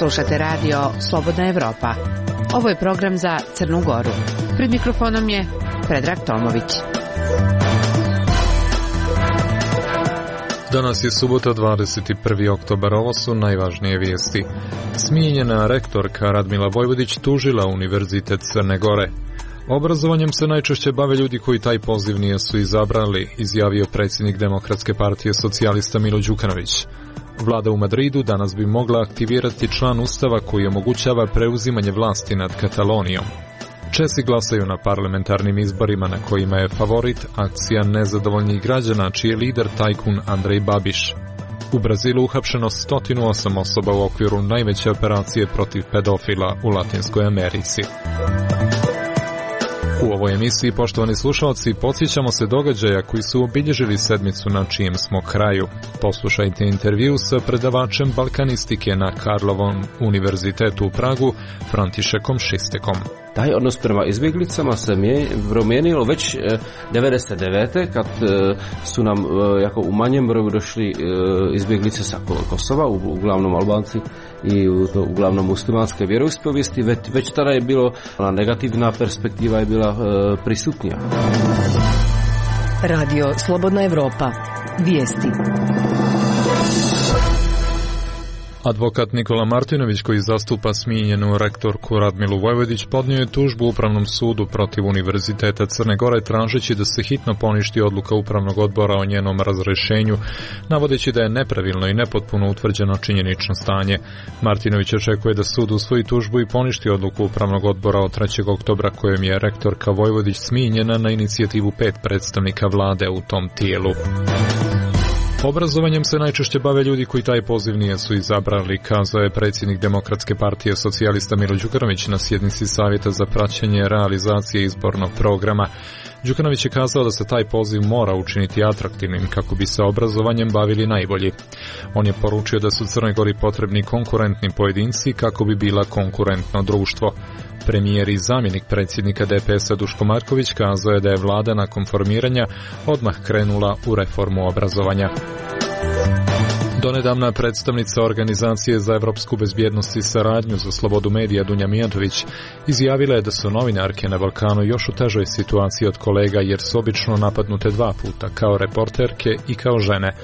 Slušate radio Slobodna Evropa. Ovo je program za Crnu Goru. Pred mikrofonom je Predrag Tomović. Danas je subota, 21. oktobar. Ovo su najvažnije vijesti. Smijenjena rektorka Radmila Vojvodić tužila Univerzitet Crne Gore. Obrazovanjem se najčešće bave ljudi koji taj poziv nisu izabrali, izjavio predsjednik Demokratske partije socijalista Milo Đukanović. Vlada u Madridu danas bi mogla aktivirati član Ustava koji omogućava preuzimanje vlasti nad Katalonijom. Česi glasaju na parlamentarnim izborima na kojima je favorit akcija nezadovoljnih građana, čiji je lider tajkun Andrej Babiš. U Brazilu uhapšeno 108 osoba u okviru najveće operacije protiv pedofila u Latinskoj Americi. U ovoj emisiji, poštovani slušalci, podsjećamo se događaja koji su obilježili sedmicu na čijem smo kraju. Poslušajte intervju sa predavačem balkanistike na Karlovom univerzitetu u Pragu, Františekom Šistekom. Taj odnos prema izbjeglicama se promijenilo već 99. kad su nam jako u manjem broju došli izbjeglice sa Kosova, uglavnom Albanci i uglavnom muslimanske vjeroispovijesti. Već tada je bilo, negativna perspektiva je bila prisutnija. Radio Slobodna Evropa. Vijesti. Advokat Nikola Martinović, koji zastupa smijenjenu rektorku Radmilu Vojvodić, podnio je tužbu Upravnom sudu protiv Univerziteta Crne Gore tražeći da se hitno poništi odluka Upravnog odbora o njenom razrješenju, navodeći da je nepravilno i nepotpuno utvrđeno činjenično stanje. Martinović očekuje da sud usvoji tužbu i poništi odluku Upravnog odbora od 3. oktobra kojom je rektorka Vojvodić smijenjena na inicijativu 5 predstavnika vlade u tom tijelu. Obrazovanjem se najčešće bave ljudi koji taj poziv nisu izabrali, kazao je predsjednik Demokratske partije socijalista Milo Đukanović na sjednici Savjeta za praćenje realizacije izbornog programa. Đukanović je kazao da se taj poziv mora učiniti atraktivnim kako bi se obrazovanjem bavili najbolji. On je poručio da su Crnoj Gori potrebni konkurentni pojedinci kako bi bila konkurentno društvo. Premijer i zamjenik predsjednika DPS-a Duško Marković kazao je da je vlada nakon formiranja odmah krenula u reformu obrazovanja. Donedavna predstavnica Organizacije za evropsku bezbjednost i saradnju za slobodu medija Dunja Mijatović izjavila je da su novinarke na Balkanu još u težoj situaciji od kolega jer su obično napadnute 2 puta, kao reporterke i kao žene.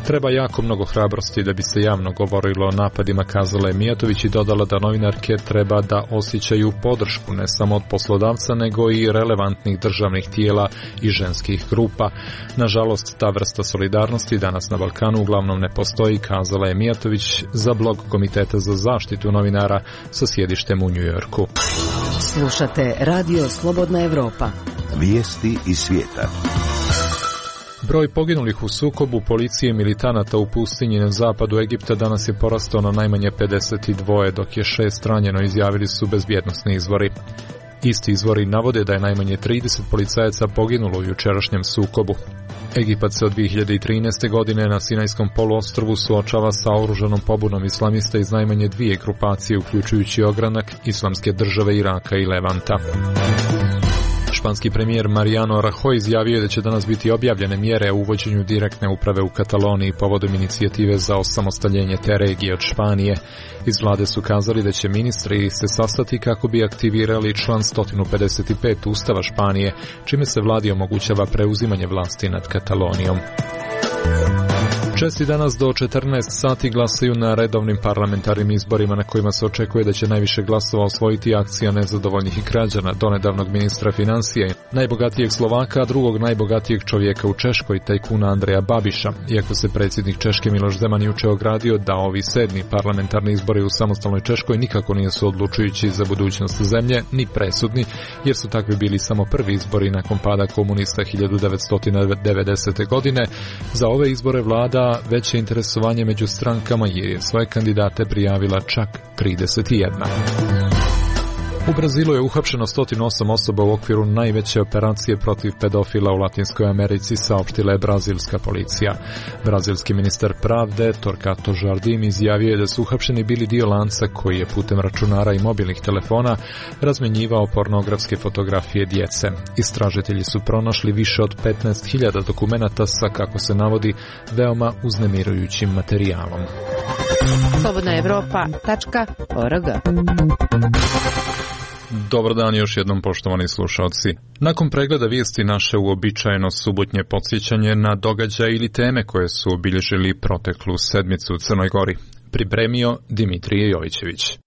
Treba jako mnogo hrabrosti da bi se javno govorilo o napadima, kazala je Mijatović i dodala da novinarke treba da osjećaju podršku ne samo od poslodavca nego i relevantnih državnih tijela i ženskih grupa. Nažalost, ta vrsta solidarnosti danas na Balkanu uglavnom ne postoji, kazala je Mijatović za blog Komiteta za zaštitu novinara sa sjedištem u Njujorku. Slušate Radio Slobodna Evropa. Vijesti iz svijeta. Broj poginulih u sukobu policije i militanata u pustinji na zapadu Egipta danas je porastao na najmanje 52, dok je 6 ranjeno, izjavili su bezbjednosni izvori. Isti izvori navode da je najmanje 30 policajaca poginulo u jučerašnjem sukobu. Egipat se od 2013. godine na Sinajskom poluostrvu suočava sa oružanom pobunom islamista iz najmanje 2 grupacije, uključujući ogranak Islamske države Iraka i Levanta. Španski premijer Mariano Rajoy izjavio je da će danas biti objavljene mjere o uvođenju direktne uprave u Kataloniji povodom inicijative za osamostaljenje te regije od Španije. Iz vlade su kazali da će ministri se sastati kako bi aktivirali član 155 Ustava Španije, čime se vladi omogućava preuzimanje vlasti nad Katalonijom. Česi danas do 14 sati glasaju na redovnim parlamentarnim izborima na kojima se očekuje da će najviše glasova osvojiti akcija nezadovoljnih građana, donedavnog ministra financija, najbogatijeg Slovaka, a drugog najbogatijeg čovjeka u Češkoj, tajkuna Andreja Babiša. Iako se predsjednik Češke Miloš Zeman juče ogradio da ovi 7. parlamentarni izbori u samostalnoj Češkoj nikako nisu odlučujući za budućnost zemlje, ni presudni, jer su takvi bili samo prvi izbori nakon pada komunista 1990. godine. Za ove izbore vlada veće interesovanje među strankama jer je svoje kandidate prijavila čak 31. U Brazilu je uhapšeno 108 osoba u okviru najveće operacije protiv pedofila u Latinskoj Americi, saopštila je brazilska policija. Brazilski ministar pravde Torquato Jardim izjavio je da su uhapšeni bili dio lanca koji je putem računara i mobilnih telefona razmjenjivao pornografske fotografije djece. Istražitelji su pronašli više od 15.000 dokumenata sa, kako se navodi, veoma uznemirujućim materijalom. slobodnaevropa.org. Dobar dan još jednom, poštovani slušalci. Nakon pregleda vijesti naše uobičajeno subotnje podsjećanje na događaje ili teme koje su obilježili proteklu sedmicu u Crnoj Gori. Pripremio Dimitrije Jovićević.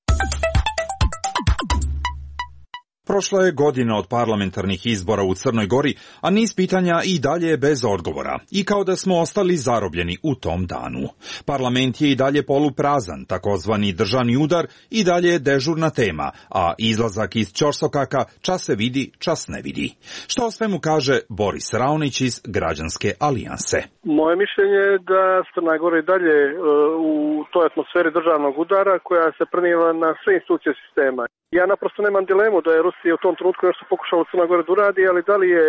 Prošla je godina od parlamentarnih izbora u Crnoj Gori, a niz pitanja i dalje je bez odgovora, i kao da smo ostali zarobljeni u tom danu. Parlament je i dalje poluprazan, takozvani državni udar i dalje je dežurna tema, a izlazak iz ćorsokaka čas se vidi, čas ne vidi. Što o svemu kaže Boris Raonić iz Građanske alijanse. Moje mišljenje je da Crna Gora i dalje u toj atmosferi državnog udara koja se preniva na sve institucije sistema. Ja naprosto nemam dilemu da je Rusija u tom trenutku nešto pokušala u Crnoj Gori da uradi, ali da li je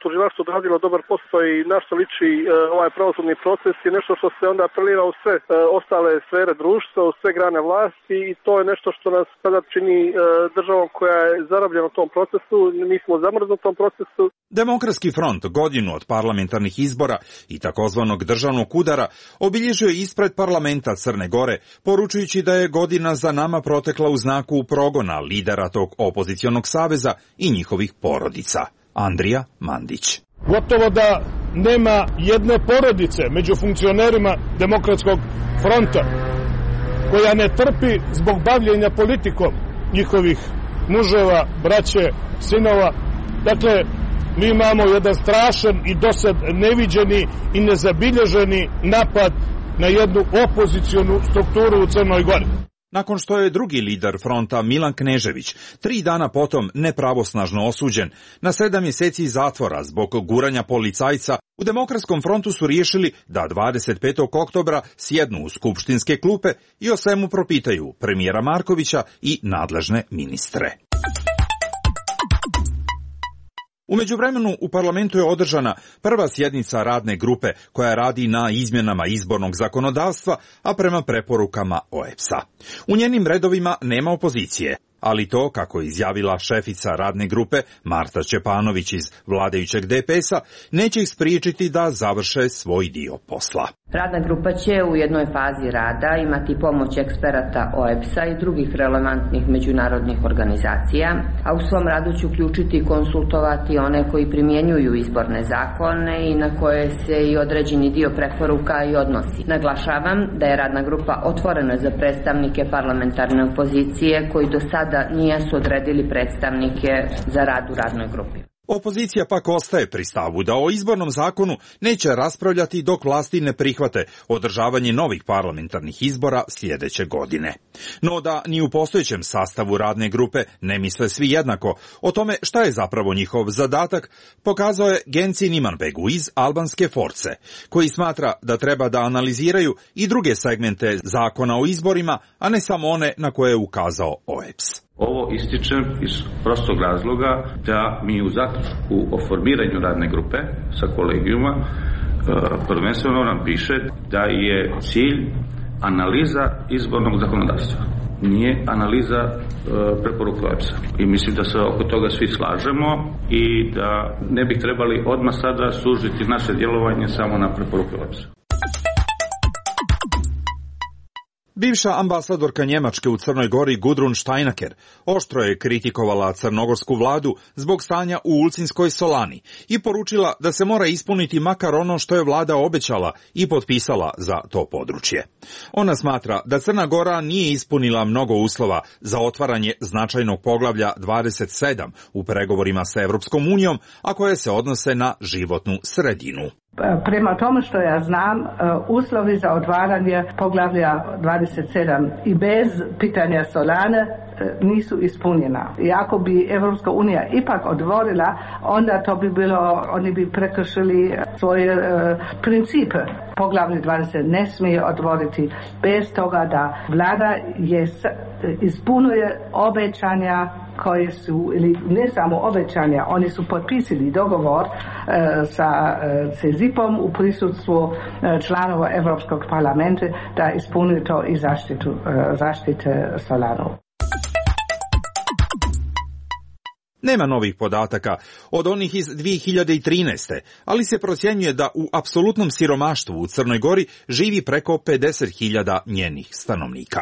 tužilaštvo odradilo dobar posao i na što liči ovaj pravosudni proces je nešto što se onda preliva u sve ostale sfere društva, u sve grane vlasti, i to je nešto što nas sada čini državom koja je zarobljena u tom procesu, mi smo zamrznuti u tom procesu. Demokratski front godinu od parlamentarnih izbora i takozvanog državnog udara obilježio je ispred parlamenta Crne Gore, poručujući da je godina za nama protekla u znaku progona lidera tog opozicionog saveza i njihovih porodica. Andrija Mandić. Gotovo da nema jedne porodice među funkcionerima Demokratskog fronta koja ne trpi zbog bavljenja politikom njihovih muževa, braće, sinova. Dakle, mi imamo jedan strašan i dosad neviđeni i nezabilježeni napad na jednu opozicionu strukturu u Crnoj Gori. Nakon što je drugi lider fronta Milan Knežević 3 dana potom nepravosnažno osuđen na 7 mjeseci zatvora zbog guranja policajca, u Demokratskom frontu su riješili da 25. oktobra sjednu u skupštinske klupe i o svemu propitaju premijera Markovića i nadležne ministre. U međuvremenu u parlamentu je održana prva sjednica radne grupe koja radi na izmjenama izbornog zakonodavstva, a prema preporukama OEBS-a. U njenim redovima nema opozicije, ali to, kako je izjavila šefica radne grupe Marta Čepanović iz vladajućeg DPS-a, neće ih spriječiti da završe svoj dio posla. Radna grupa će u jednoj fazi rada imati pomoć eksperata OEBS-a i drugih relevantnih međunarodnih organizacija, a u svom radu će uključiti i konsultovati one koji primjenjuju izborne zakone i na koje se i određeni dio preporuka i odnosi. Naglašavam da je radna grupa otvorena za predstavnike parlamentarne opozicije koji do sada nisu odredili predstavnike za rad u radnoj grupi. Opozicija pak ostaje pri stavu da o izbornom zakonu neće raspravljati dok vlasti ne prihvate održavanje novih parlamentarnih izbora sljedeće godine. No da ni u postojećem sastavu radne grupe ne misle svi jednako. O tome šta je zapravo njihov zadatak pokazao je Genci Nimanbegu iz albanske Force, koji smatra da treba da analiziraju i druge segmente zakona o izborima, a ne samo one na koje je ukazao OEBS. Ovo ističem iz prostog razloga da mi u zaključku o formiranju radne grupe sa kolegijuma prvenstveno nam piše da je cilj analiza izbornog zakonodavstva. Nije analiza preporuka OEBS-a. I mislim da se oko toga svi slažemo i da ne bi trebali odmah sada sužiti naše djelovanje samo na preporuke OEBS-a. Bivša ambasadorka Njemačke u Crnoj Gori Gudrun Steinaker oštro je kritikovala crnogorsku vladu zbog stanja u Ulcinskoj solani i poručila da se mora ispuniti makar ono što je vlada obećala i potpisala za to područje. Ona smatra da Crna Gora nije ispunila mnogo uslova za otvaranje značajnog poglavlja 27 u pregovorima sa Europskom unijom, a koje se odnose na životnu sredinu. Prema tome što ja znam, uslovi za otvaranje poglavlja 27 i bez pitanja solane nisu ispunjena. I ako bi Evropska unija ipak otvorila, onda to bi bilo, oni bi prekršili svoje principe. Poglavlje 20 ne smije otvoriti bez toga da vlada ispunuje obećanja koje su, ili ne samo obećanja, oni su potpisali dogovor sa CEZIP-om u prisustvu članova Europskog parlamenta da ispunuju to i zaštite Solanu. Nema novih podataka od onih iz 2013. ali se procjenjuje da u apsolutnom siromaštvu u Crnoj Gori živi preko 50.000 njenih stanovnika.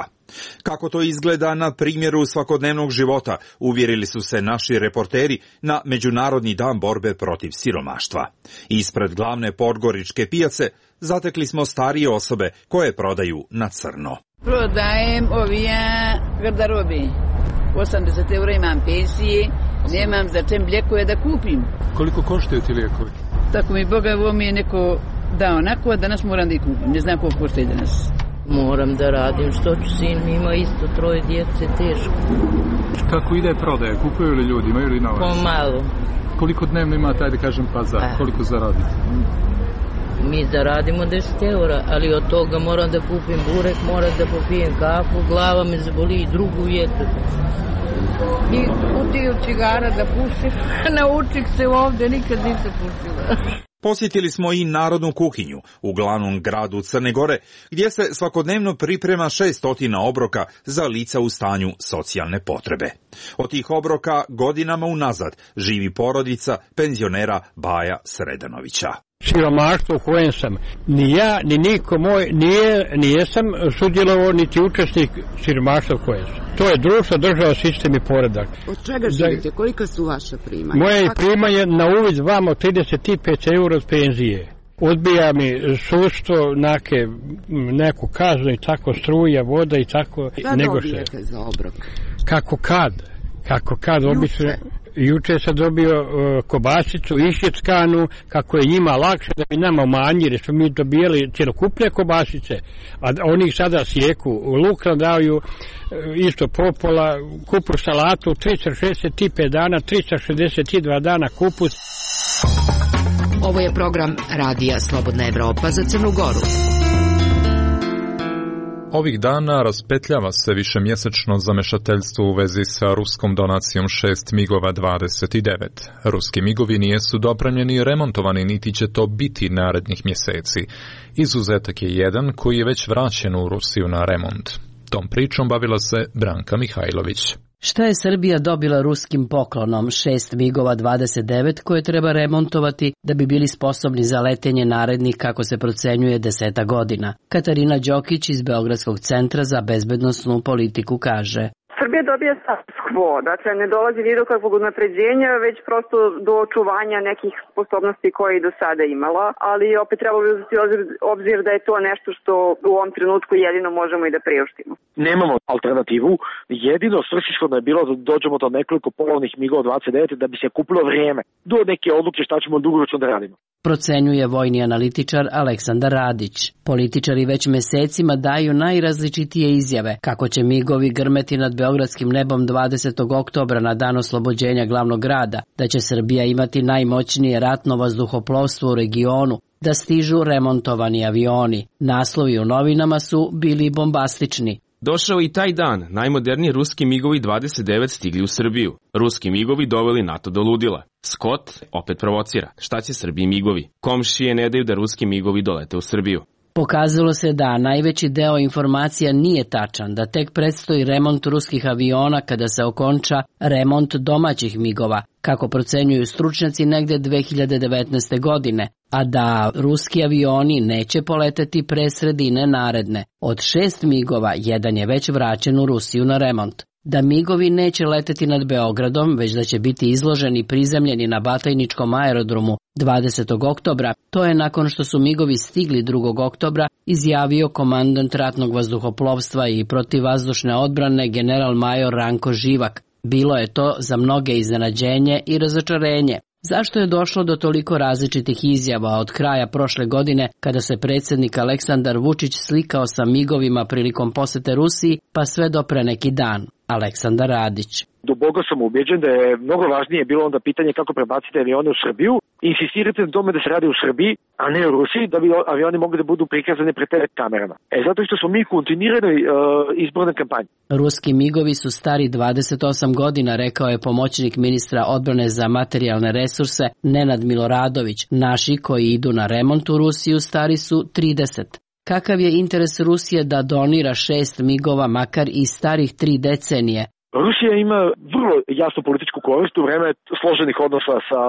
Kako to izgleda na primjeru svakodnevnog života, uvjerili su se naši reporteri na Međunarodni dan borbe protiv siromaštva. Ispred glavne podgoričke pijace zatekli smo starije osobe koje prodaju na crno. Prodajem ovija garderobi. 80 eura imam pensije, nemam za čem lijekove da kupim. Koliko koštaju ti lijekovi? Tako mi Boga, ovo mi je neko dao onako, a danas moram da ih kupim. Ne znam koliko koštaju danas. Moram da radim, što ću, sin mi ima isto 3 djece, teško. Kako ide prodaja? Kupuju li ljudi, imaju li novac? Pomalo. Koliko dnevno ima taj, da kažem, pazar? Koliko zaradite? Mi zaradimo 10 eura, ali od toga moram da kupim burek, moram da popijem kafu, glava me zaboli i drugu jedu. I kutiju cigara da pušim, naučih se ovdje, nikad nisam pušila. Posjetili smo i narodnu kuhinju u glavnom gradu Crne Gore, gdje se svakodnevno priprema 600 obroka za lica u stanju socijalne potrebe. Od tih obroka godinama unazad živi porodica penzionera Baja Sredanovića. Siromaštvo u kojem sam ni ja, ni niko moj, nijesam sudjelovao niti učesnik siromaštva u kojem sam. To je društvo, država, sistem i poredak. Od čega živite? Kolika su vaša primanja? Moje primanje na uvid vamo 35 eura od penzije. Odbija mi sudstvo, neku kaznu i tako, struja, voda i tako. Šta dobijete za obrok? Kako kad, obično. Juče sam dobio kobasicu išjeckanu, kako je njima lakše da bi nama umanjili, jer smo mi dobijali cjelokupne kobasice, a oni sada sjeku, luk nam daju isto popola, kupus salatu, 365 dana, 362 dana kupus. Ovo je program Radija Slobodna Evropa za Crnu Goru. Ovih dana raspetljava se višemjesečno zamešateljstvo u vezi sa ruskom donacijom 6 MiG-ova 29. Ruski MiG-ovi nijesu dopremljeni i remontovani, niti će to biti narednih mjeseci. Izuzetak je jedan koji je već vraćen u Rusiju na remont. Tom pričom bavila se Branka Mihajlović. Šta je Srbija dobila ruskim poklonom 6 MiG-ova 29 koje treba remontovati da bi bili sposobni za letenje narednih, kako se procenjuje, 10 godina? Katarina Đokić iz Beogradskog centra za bezbednosnu politiku kaže: Srbija dobija status quo, dakle ne dolazi ni do kakvog unapređenja, već prosto do očuvanja nekih sposobnosti koje je do sada imala, ali opet treba uzeti obzir da je to nešto što u ovom trenutku jedino možemo i da priuštimo. Nemamo alternativu, jedino svrsishodno je bilo da dođemo do nekoliko polovnih MiG-ova 29 da bi se kupilo vrijeme do neke odluke šta ćemo dugoročno da radimo. Procenjuje vojni analitičar Aleksandar Radić. Političari već mesecima daju najrazličitije izjave kako će MiG-ovi grmeti nad beogradskim nebom 20. oktobra na dan oslobođenja glavnog grada, da će Srbija imati najmoćnije ratno vazduhoplovstvo u regionu, da stižu remontovani avioni. Naslovi u novinama su bili bombastični. Došao i taj dan, najmoderniji ruski MiG-ovi 29 stigli u Srbiju. Ruski MiG-ovi doveli NATO do ludila. Scott opet provocira. Šta će Srbiji MiG-ovi? Komšije ne daju da ruski MiG-ovi dolete u Srbiju. Pokazalo se da najveći deo informacija nije tačan, da tek predstoji remont ruskih aviona kada se okonča remont domaćih MiG-ova, kako procenjuju stručnjaci, negde 2019. godine, a da ruski avioni neće poleteti pre sredine naredne. Od 6 MiG-ova, jedan je već vraćen u Rusiju na remont. Da MiG-ovi neće leteti nad Beogradom, već da će biti izloženi i prizemljeni na Batajničkom aerodromu 20. oktobra, to je nakon što su MiG-ovi stigli 2. oktobra, izjavio komandant ratnog vazduhoplovstva i protivvazdušne odbrane general major Ranko Živak. Bilo je to za mnoge iznenađenje i razočarenje. Zašto je došlo do toliko različitih izjava od kraja prošle godine, kada se predsjednik Aleksandar Vučić slikao sa MiG-ovima prilikom posete Rusiji, pa sve do pre neki dan? Aleksandar Radić. Duboko sam ubeđen da je mnogo važnije bilo onda pitanje kako prebaciti avione u Srbiju, insistirati na tome da se radi u Srbiji, a ne u Rusiji, da bi avioni mogli da budu prikazani pred TV kamerama. Zato što smo mi u kontinuiranoj izbornoj kampanji. Ruski MiG-ovi su stari 28 godina, rekao je pomoćnik ministra odbrane za materijalne resurse Nenad Miloradović. Naši koji idu na remont u Rusiju stari su 30. Kakav je interes Rusije da donira 6 MiG-ova makar i starih 3 decenije? Rusija ima vrlo jasnu političku korist u vreme složenih odnosa sa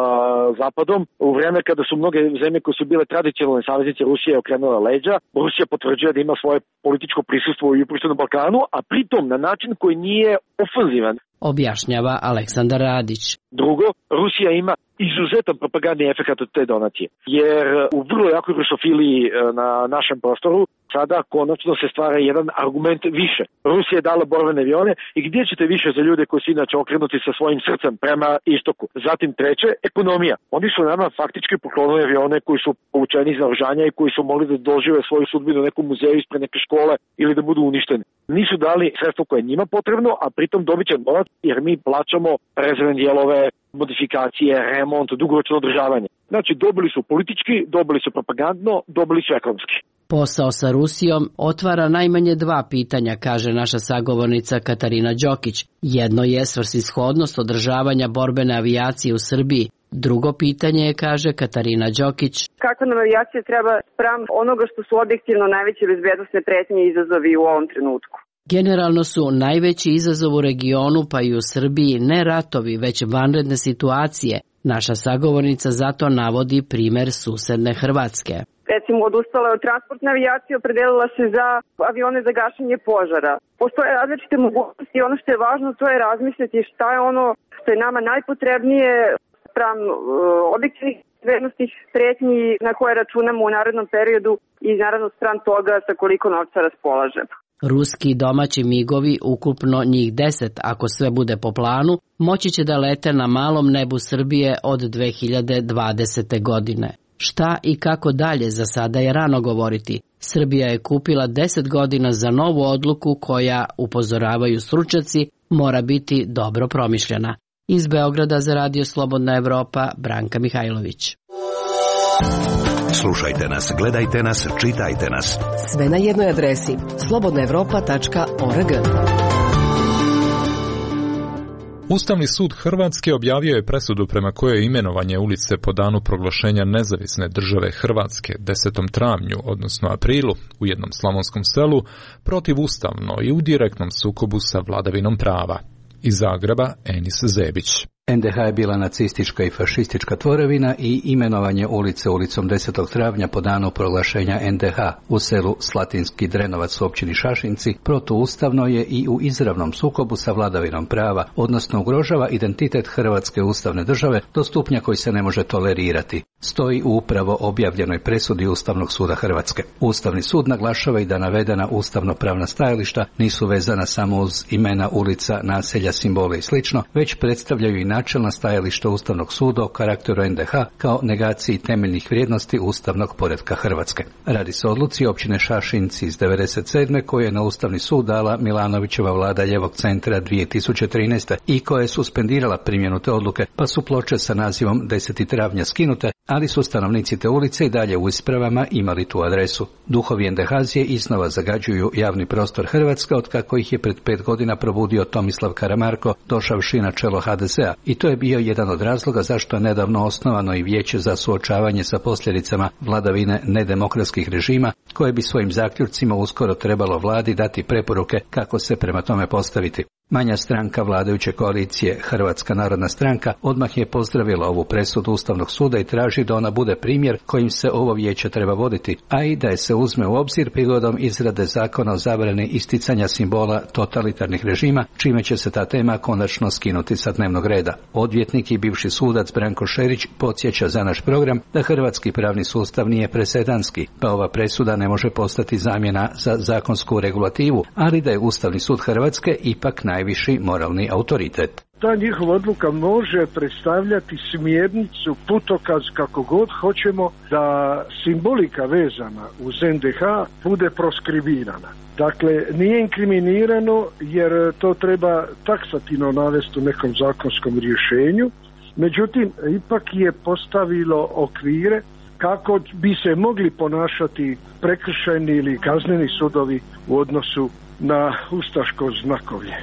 Zapadom, u vreme kada su mnoge zemlje koje su bile tradicionalne saveznice Rusije okrenule leđa. Rusija potvrđuje da ima svoje političko prisustvo u jugoistočnom Balkanu, a pritom na način koji nije ofenzivan. Objašnjava Aleksandar Radić. Drugo, Rusija ima izuzetan propagandni efekt od te donacije, jer u vrlo jakoj rusofiliji na našem prostoru sada konačno se stvara jedan argument više. Rusija je dala borbene avione i gdje ćete više za ljude koji su inače okrenuti sa svojim srcem prema istoku. Zatim treće, ekonomija. Oni su nama faktički poklonili avione koji su povučeni iz naoružanja i koji su mogli da dožive svoju sudbinu u nekom muzeju ispred neke škole ili da budu uništeni. Nisu dali sredstvo koje je njima potrebno, a pritom dobit će novac jer mi plaćamo rezervne dijelove, modifikacije, remont, dugoročno održavanje. Znači dobili su politički, dobili su propagandno, dobili su ekonomski. Posao sa Rusijom otvara najmanje dva pitanja, kaže naša sagovornica Katarina Đokić. Jedno je svrsishodnost održavanja borbene avijacije u Srbiji. Drugo pitanje je, kaže Katarina Đokić, kakva nam avijacija treba spram onoga što su objektivno najveće bezbednosne pretnje i izazovi u ovom trenutku. Generalno su najveći izazov u regionu, pa i u Srbiji, ne ratovi, već vanredne situacije. Naša sagovornica zato navodi primer susedne Hrvatske. Recimo, odustala je od transportne avijacije, opredelila se za avione za gašenje požara. Postoje različite mogućnosti i ono što je važno to je razmisliti šta je ono što je nama najpotrebnije spram objektivnih bezbednosnih pretnji na koje računamo u narednom periodu i naravno spram toga sa koliko novca raspolažemo. Ruski i domaći migovi, ukupno njih 10, ako sve bude po planu, moći će da lete na malom nebu Srbije od 2020. godine. Šta i kako dalje za sada je rano govoriti. Srbija je kupila 10 godina za novu odluku koja, upozoravaju stručnjaci, mora biti dobro promišljena. Iz Beograda za Radio Slobodna Evropa, Branka Mihajlović. Slušajte nas, gledajte nas, čitajte nas. Sve na jednoj adresi slobodnaevropa.org. Ustavni sud Hrvatske objavio je presudu prema kojoj je imenovanje ulice po danu proglašenja nezavisne države Hrvatske 10. travnju, odnosno aprilu, u jednom slavonskom selu, protivustavno i u direktnom sukobu sa vladavinom prava. Iz Zagreba, Enis Zebić. NDH je bila nacistička i fašistička tvorevina i imenovanje ulice ulicom 10. travnja po danu proglašenja NDH u selu Slatinski Drenovac u općini Šašinci protuustavno je i u izravnom sukobu sa vladavinom prava, odnosno ugrožava identitet Hrvatske ustavne države do stupnja koji se ne može tolerirati. Stoji u upravo objavljenoj presudi Ustavnog suda Hrvatske. Ustavni sud naglašava i da navedena ustavno-pravna stajališta nisu vezana samo uz imena ulica, naselja, simbole i sl., već predstavljaju i načelna stajališta Ustavnog suda o karakteru NDH kao negaciji temeljnih vrijednosti ustavnog poretka Hrvatske. Radi se o odluci općine Šašinci iz 1997. koju je na Ustavni sud dala Milanovićeva vlada Ljevog centra 2013. i koja je suspendirala primjenu te odluke, pa su ploče sa nazivom 10. travnja skinute, ali su stanovnici te ulice i dalje u ispravama imali tu adresu. Duhovi NDH-zije iznova zagađuju javni prostor Hrvatske od kako ih je pred 5 godina probudio Tomislav Karamarko, došavši na čelo HDZ-a, i to je bio jedan od razloga zašto je nedavno osnovano i vijeće za suočavanje sa posljedicama vladavine nedemokratskih režima, koje bi svojim zaključcima uskoro trebalo vladi dati preporuke kako se prema tome postaviti. Manja stranka vladajuće koalicije, Hrvatska narodna stranka, odmah je pozdravila ovu presudu Ustavnog suda i traži da ona bude primjer kojim se ovo vijeće treba voditi, a i da je se uzme u obzir prigodom izrade zakona o zabrani isticanja simbola totalitarnih režima, čime će se ta tema konačno skinuti sa dnevnog reda. Odvjetnik i bivši sudac Branko Šerić podsjeća za naš program da hrvatski pravni sustav nije presedanski, pa ova presuda ne može postati zamjena za zakonsku regulativu, ali da je Ustavni sud Hrvatske ipak najviši moralni autoritet. Ta njihova odluka može predstavljati smjernicu, putokaz, kako god hoćemo, da simbolika vezana uz NDH bude proskribirana. Dakle, nije inkriminirano jer to treba taksativno navesti u nekom zakonskom rješenju, međutim, ipak je postavilo okvire kako bi se mogli ponašati prekršajni ili kazneni sudovi u odnosu na ustaško znakovlje.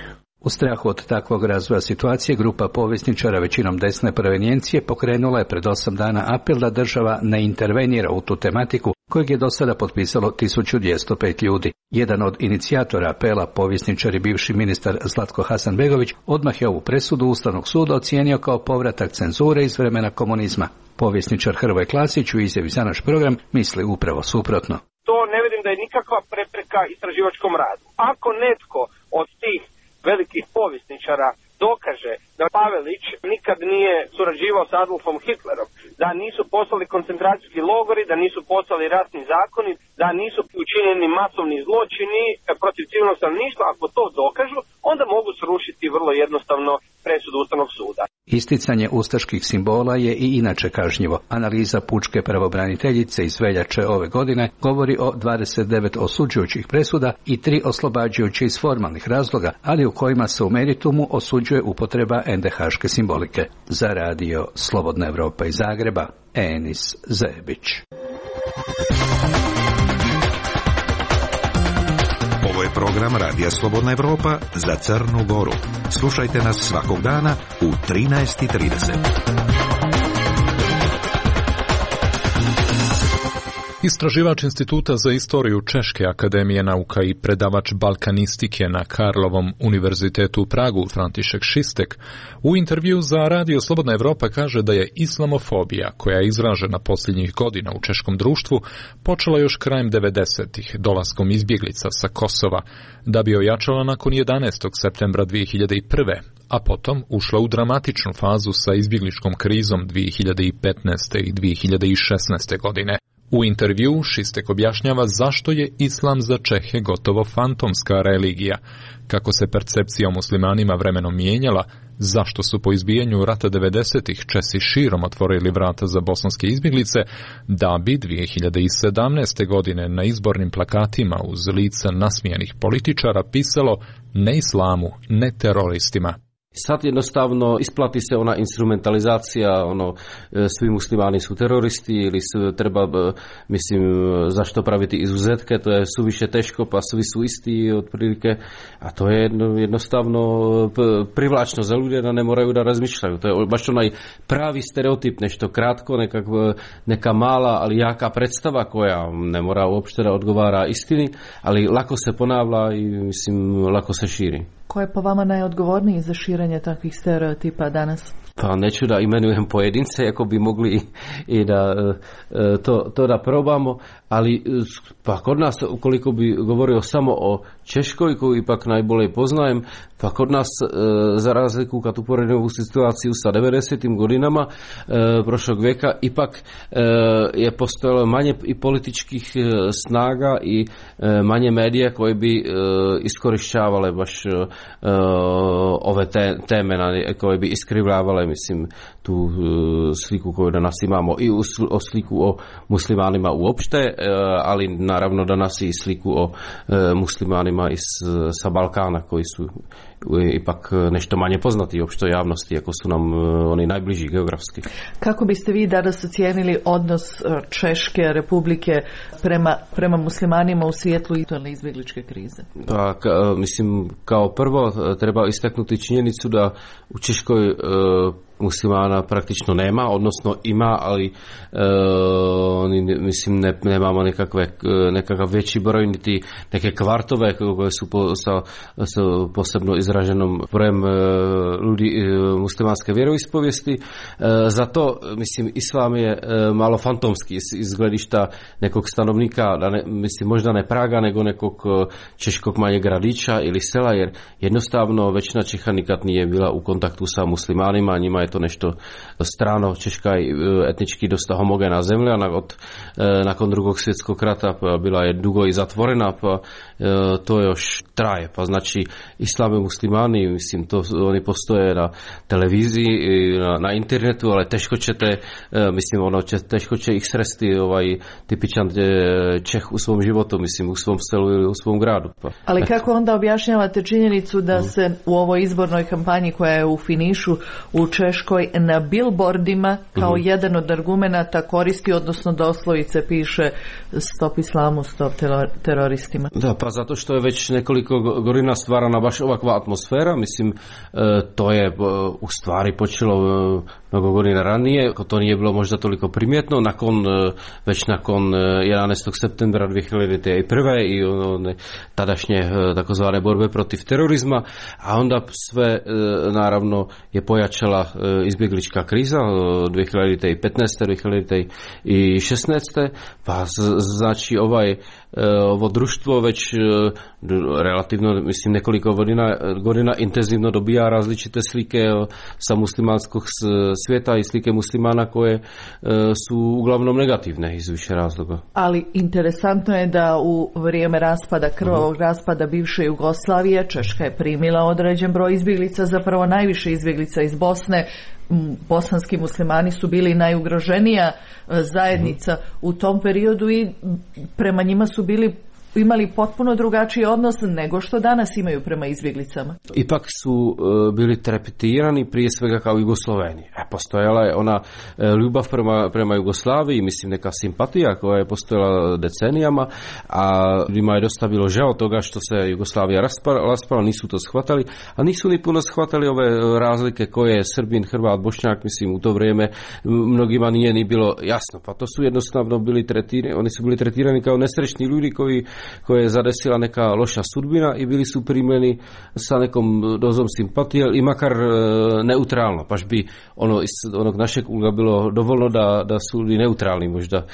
U strahu od takvog razvoja situacije, grupa povjesničara većinom desne provenijencije pokrenula je pred 8 dana apel da država ne intervenira u tu tematiku, kojeg je do sada potpisalo 1205 ljudi. Jedan od inicijatora apela, povjesničar i bivši ministar Zlatko Hasanbegović, odmah je ovu presudu Ustavnog suda ocijenio kao povratak cenzure iz vremena komunizma. Povjesničar Hrvoje Klasić u izjavi za naš program misli upravo suprotno. To ne vidim da je nikakva prepreka istraživačkom radu. Ako netko od tih velikih povjesničara dokaže da Pavelić nikad nije surađivao s Adolfom Hitlerom, da nisu poslali koncentracijski logori, da nisu poslali ratni zakoni, da nisu učinjeni masovni zločini protiv civilnog stanovništva, ako to dokažu, onda mogu srušiti vrlo jednostavno presudu Ustavnog suda. Isticanje ustaških simbola je i inače kažnjivo. Analiza pučke pravobraniteljice iz veljače ove godine govori o 29 osuđujućih presuda i 3 oslobađajuće iz formalnih razloga, ali u kojima se u meritumu osuđuje upotreba NDH-ške simbolike. Za radio Slobodna Evropa iz Zagreba, Enis Zebić. Ovo je program Radija Slobodna Evropa za Crnu Goru. Slušajte nas svakog dana u 13:30. Istraživač Instituta za istoriju Češke akademije nauka i predavač balkanistike na Karlovom univerzitetu u Pragu, František Šistek, u intervju za Radio Slobodna Evropa kaže da je islamofobija, koja je izražena posljednjih godina u češkom društvu, počela još krajem 90-ih, dolaskom izbjeglica sa Kosova, da bi ojačala nakon 11. septembra 2001. a potom ušla u dramatičnu fazu sa izbjegličkom krizom 2015. i 2016. godine. U intervju Šistek objašnjava zašto je islam za Čehe gotovo fantomska religija, kako se percepcija o muslimanima vremenom mijenjala, zašto su po izbijanju rata 90-ih Česi širom otvorili vrata za bosanske izbjeglice, da bi 2017. godine na izbornim plakatima uz lica nasmijanih političara pisalo ne islamu, ne teroristima. Sad jednostavno isplati se ona instrumentalizacija, svi muslimani su teroristi ili treba, zašto praviti izuzetke, to je suviše teško, pa svi su isti otprilike, a to je jednostavno privlačno za ljude da ne moraju da razmišljaju. To je baš onaj pravi stereotip, nešto kratko, neka mala, ali jaka predstava koja ne mora uopšte da odgovara istini, ali lako se ponavlja i lako se širi. Ko je po vama najodgovorniji za širenje takvih stereotipa danas? Pa neću da imenujem pojedince, ako bi mogli i da to da probamo, ali pa kod nas, ukoliko bi govorio samo o Češkoj, koju ipak najbolje poznajem, pa kod nas, za razliku kad uporedimo ovu situaciju sa 90. godinama prošlog vijeka, ipak je postojalo manje i političkih snaga i manje medija koje bi iskorišćavale baš ove teme koje bi iskrivljavale, tu sliku koju danas imamo i o sliku o muslimanima uopšte, ali naravno danas i sliku o muslimanima sa Balkana koji su ipak nešto manje poznati uopšte javnosti, ako su nam oni najbliži geografski. Kako biste vi danas ocijenili odnos Češke republike prema muslimanima u svijetlu aktualne izbjegličke krize? Pa, kao prvo treba istaknuti činjenicu da u Češkoj muslimana praktično nema, odnosno ima, ali nemamo nekakav veći broj, niti neke kvartove koje su sa posebno izraženom brojem ljudi muslimanske vjeroispovijesti. Zato, islam je malo fantomski iz gledišta nekog stanovnika, možda ne Praga, nego nekog češkog manjeg gradića ili sela, jer jednostavno većina Čeha nikad nije bila u kontaktu sa muslimanima, njima je to nešto strano. Češka je etnički dosta homogena zemlja, nakon drugog svjetskog rata bila je dugo i zatvorena, pa to još traje. Pa znači islam i muslimani, oni postoje na televiziji, na internetu, ali teško će ih sresti tipičan Čeh u svom životu, u svom selu ili u svom gradu. Pa. Ali kako onda objašnjavate činjenicu da se u ovoj izbornoj kampanji koja je u finišu u Češkoj na billboardima kao jedan od argumenata koristi, odnosno doslovice piše stop islamu, stop teroristima? Da, pa zato što je već nekoliko godina stvarana baš ovakva atmosfera, mislim, to je u stvari počelo mnogo godina ranije, to nije bilo možda toliko primjetno, već nakon 11. septembra 2001. i tadašnje takozvane borbe protiv terorizma, a onda sve naravno je pojačala izbjeglička kriza 2015. 2016. pa znači ovo društvo već relativno, mislim, nekoliko godina intenzivno dobija različite slike sa muslimanskog svijeta i slike muslimana koje su uglavnom negativne iz više razloga. Ali interesantno je da u vrijeme krvavog raspada bivše Jugoslavije Češka je primila određen broj izbjeglica, zapravo najviše izbjeglica iz Bosne. Bosanski muslimani su bili najugroženija zajednica u tom periodu i prema njima su imali potpuno drugačiji odnos nego što danas imaju prema izbjeglicama. Ipak su bili trepetirani prije svega kao Jugosloveni. Postojala je ona ljubav prema Jugoslaviji, mislim neka simpatija koja je postojala decenijama, a ljudima je dosta bilo žao toga što se Jugoslavija raspala, nisu to shvatali, a nisu ni puno shvatali ove razlike koje je Srbin, Hrvat, Bošnjak, mislim u to vrijeme mnogima nije ni bilo jasno. Pa to su jednostavno bili tretirani, oni su bili tretirani kao nesrećni ljudi koje je zadesila neka loša sudbina i bili su primljeni sa nekom dozom simpatije i makar neutralno, baš bi iz onog našeg ugla bilo dovoljno da su i neutralni možda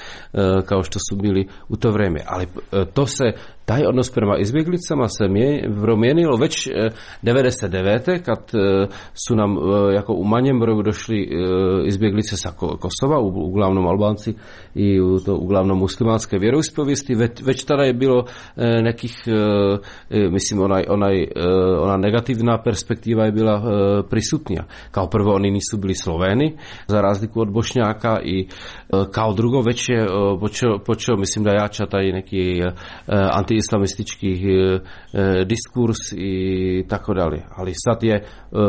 kao što su bili u to vrijeme. Ali taj odnos prema izbjeglicama se promijenilo već 99. kad su nam jako u manjem broju došli izbjeglice sa Kosova, uglavnom Albanci i uglavnom muslimanske vjeroispovijesti. Već tada je bilo nekih, mislim, ona negativna perspektiva je bila prisutnija. Kao prvo, oni nisu bili Sloveni, za razliku od Bošnjaka, i kao drugo, već je počeo, mislim, da jača taj neki anti-islamistički diskurs i tako dalje. Ali sad je,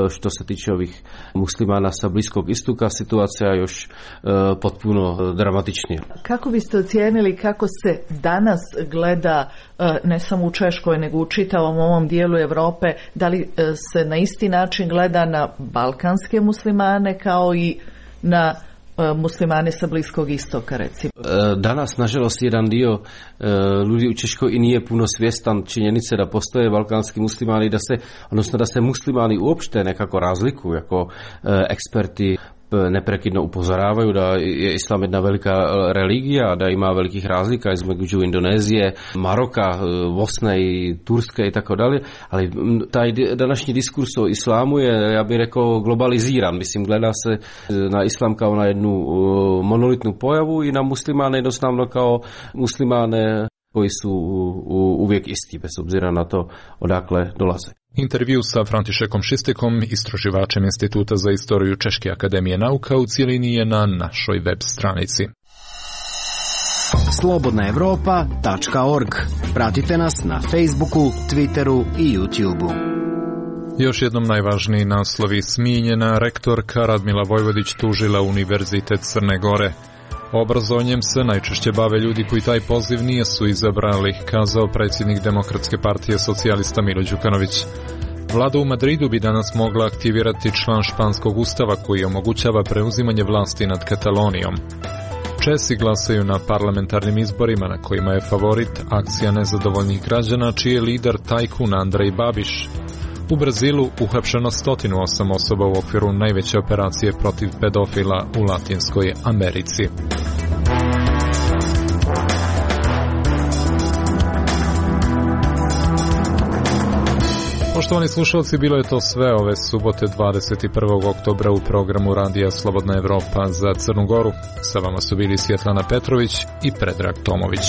što se tiče ovih muslimana sa Bliskog istoka, situacija još potpuno dramatičnija. Kako biste ocijenili kako se danas gleda, ne samo u Češkoj, nego u čitavom ovom dijelu Europe, da li se na isti način gleda na balkanske muslimane kao i na muslimane sa Bliskog istoka, recimo? Danas, nažalost, jedan dio ljudi u Češkoj i nije puno svjestan činjenice da postoje balkanski muslimani, da se muslimani uopšte nekako razlikuju, ako eksperti neprekidno upozoravaju da je islam jedna velika religija, da ima velikih razlika između Indonezije, Maroka, Bosne i Turske i tako dalje, ali taj današnji diskurs o islamu je, ja bih rekao, globaliziran. Mislim, gleda se na islam kao na jednu monolitnu pojavu i na muslimane jednostavno kao muslimane koji su uvijek isti, bez obzira na to odakle dolaze. Intervju sa Františekom Šistekom, istraživačem Instituta za istoriju Češke akademije nauka, u cijelini je na našoj web stranici. Slobodnaevropa.org. Pratite nas na Facebooku, Twitteru i YouTubeu. Još jednom najvažniji naslovi. Smijenjena rektorka Radmila Vojvodić tužila Univerzitet Crne Gore. Obrazovanjem se najčešće bave ljudi koji taj poziv nisu izabrali, kazao predsjednik Demokratske partije socijalista Milo Đukanović. Vlada u Madridu bi danas mogla aktivirati član španskog ustava koji omogućava preuzimanje vlasti nad Katalonijom. Česi glasaju na parlamentarnim izborima na kojima je favorit akcija nezadovoljnih građana, čiji je lider tajkun Andrej Babiš. U Brazilu uhapšeno 108 osoba u okviru najveće operacije protiv pedofila u Latinskoj Americi. Poštovani slušalci, bilo je to sve ove subote 21. oktobra u programu Radija Slobodna Evropa za Crnu Goru. Sa vama su bili Svjetlana Petrović i Predrag Tomović.